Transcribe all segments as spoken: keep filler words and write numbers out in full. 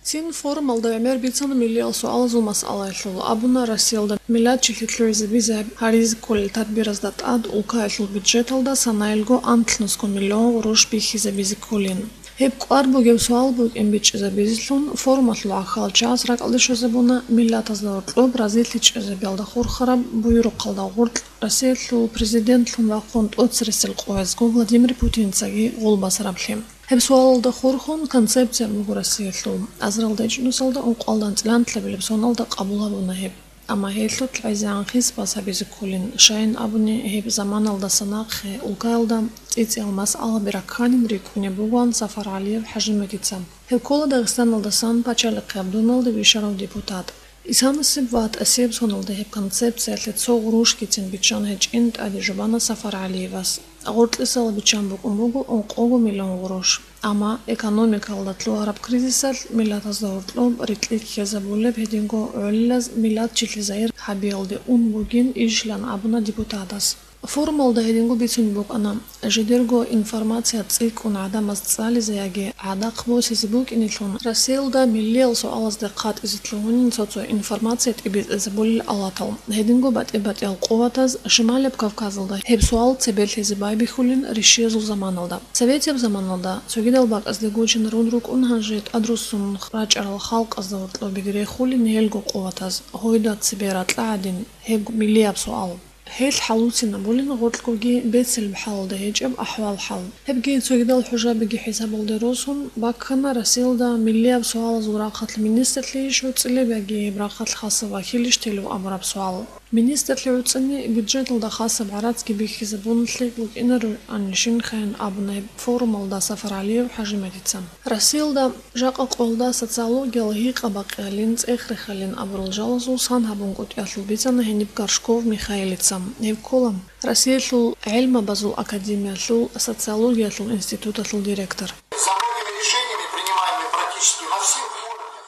Цин форумалда гӀемер бицана миллиял суалазул масъалаялъул. Абуна, Россиялда миллатчилъи лъугӀизабизе гьаризе кколел тадбиразда тӀад улкаялъул бюджеталда санаялго анлънусго миллион гъурущ бихьизабизе кколин. Гьеб кӀвар бугеб суал букӀин бичӀчӀизабизелъун, форумалъул гӀахьалчагӀаз ракӀалде щвезабуна миллатазда гьоркьоб разилъи чӀезабиялда хурхараб буюрухъалда гъоркь Россиялъул президентлъун вахъун тӀоцересел къоязго Владимир Путинцаги гъулбасараблъи. Гьеб суалалда хурхун концепция буго Россиялъул. Азарилда ичӀнусалда ункъоялда анцӀила анлъабилеб соналда къабул гьабуна гьеб. Амма гьелъул гӀезегӀан хисбаз гьабизе кколин, щайин абуни, гьеб заманалдаса нахъе улкаялда цӀицӀиял масъалаби ракканин рикӀкӀунеб бугоан Сафар ГӀалиев ХӀажиматица. Гьев ккола Дагъистаналдасан Пачалихъе Гьабдуналде вищарав депутат. Исанасеб ва тӀасеб соналда гьеб концепциялъе цо гъурущгицин биччан гьечӀин тӀаде жубана Сафар ГӀалиевас. Гъоркьисал биччан букӀун буго ункъого миллион гъурущ. Амма экономикалда лъугьараб кризисалъ миллатазда гьоркьоб рикьи ккезабулеб гьединго гӀолилаз миллатчилъи загьир гьабиялде ун бугин ишилан абуна депутатас. Форумалда гьединго бицунеб букӀана, жидерго информация цӀикӀкӀун гӀадамаз цӀализе яги гӀадахъ босизе букӀинелъун, Россиялда миллиял суалазде хъатӀизе лъугьунин цо-цо информация тӀибитӀизабулел алатал. Гьединго батӀи-батӀиял къуватаз Шималияб Кавказалда гьеб суал цебе лъезе байбихьулин ришшиязул заманалда. Советияб заманалда цогидал бакӀазде гучинарун рукӀун гьанже тӀадруссун рачӀарал халкъазда гьоркьобиги рехулин гьелго къуватаз, гьойда цебе ракьа гӀадин, гьеб миллияб суал. Гьелъ хӀалуцинабулин гъоркьгоги бецалеб хӀалалда гьечӀеб ахӀвал-хӀал. Гьебги цогидал хӀужабиги хӀисабалде росун, баккана Россиялда миллияб суалазул рахъалъ министрлъийищ гӀуцӀилеб яги гьеб рахъалъ хасаб вахилищ телев абураб суал. Министрлъи гӀуцӀани бюджеталда хасаб гӀарацги бихьизабуналъе букӀинаро анишинхъайин абуна гьеб форумалда Сафар ГӀалиев ХӀажиматица. Россиялда жакъа къоялда социологиял гьикъа-бакъиялин, цӀех-рехалин абурал жалазул сан гьабун кӀутӀиялъул бицана гьениб Горшков Михаилица. Гьев ккола Россиялъул гӀелмабазул академиялъул социологиялъул институталъул директор. За многими решениями, принимаемыми практически на всех уровнях.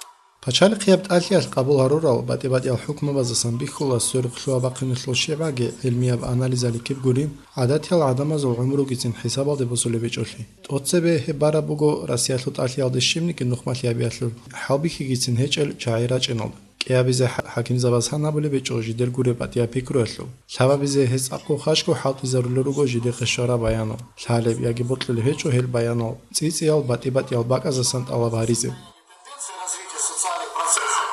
Пачалихъияб тӀалъиялъ къабул гьарурал батӀи-батӀиял хӀукмабаздасан бихьула сверухълъугьа-бахъиналъул щибгӀаги гӀилмияб анализаликиб гури, гӀадатиял гӀадамазул гӀумругицин хӀисабалде босулеб гьечӀолъи. ТӀоцебе гьеб бараб буго Россиялъул тӀалъиялде щибниги нухмалъи гьабиялъул хӀалбихьигицин гьечӀел чагӀи рачӀиналда. КӀиабизе хӀа-, хӀакимзабаз гьан гьабулеб гьечӀо жидер гуреб батӀияб пикруялъул. Лъабабизе гьез цӀакъго хъачӀго хӀалтӀизарулел руго жидехъе щвараб баянал, лъалеб яги бокьулеб гьечӀо гьел баянал, цӀицӀиял батӀи-батӀиял бакӀаздасан тӀалаб гьаризе. Тенденции развития социальных процессов,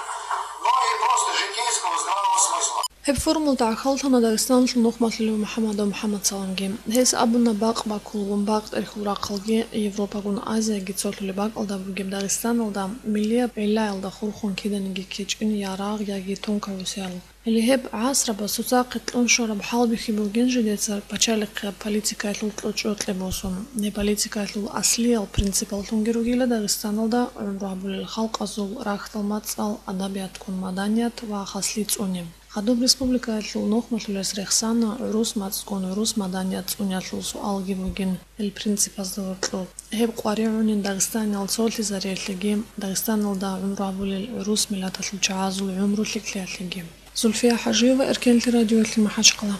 но и просто житейского здравого смысла. Гьеб форумалда гӀахьаллъана Дагъистаналъул нухмалъулев МухӀаммадов МухӀаммадсаламги. Гьес абуна, бакъ бакулгун, бакъ тӀерхьул рахъалги, Европагун Азияги цолъулеб бакӀалда бугеб Дагъистаналда миллияб гӀиллаялда хурхун киданиги ккечӀин я рагъ, яги тункагӀусиял. Гьеле гьеб гӀасрабаз цоцахъе кьун щвараб хӀалбихьи бугин жидеца пачалихъияб политикаялъул кьучӀдукье босун. Гьеб политикаялъул аслиял принципаллъунги ругила Дагъистаналда гӀумру гьабулел халкъазул рахьдал мацӀал, адабият-ккун маданият ва хаслъи цӀуни. Гьадуб республикаялъул нухмалъулес рехсана гӀурус мацӀгун гӀурус маданият цӀуниялъул суалги бугин гьел принципазда гьоркьоб. Гьеб къваригӀунин Дагъистаниял цолъизариялъеги, Дагъистаналда гӀумру гьабулел гӀурус миллаталъул чагӀазул гӀумру лъикӀлъиялъеги. Зульфия ХӀажиева, Эркенлъи радиоялъе, МахӀачхъала.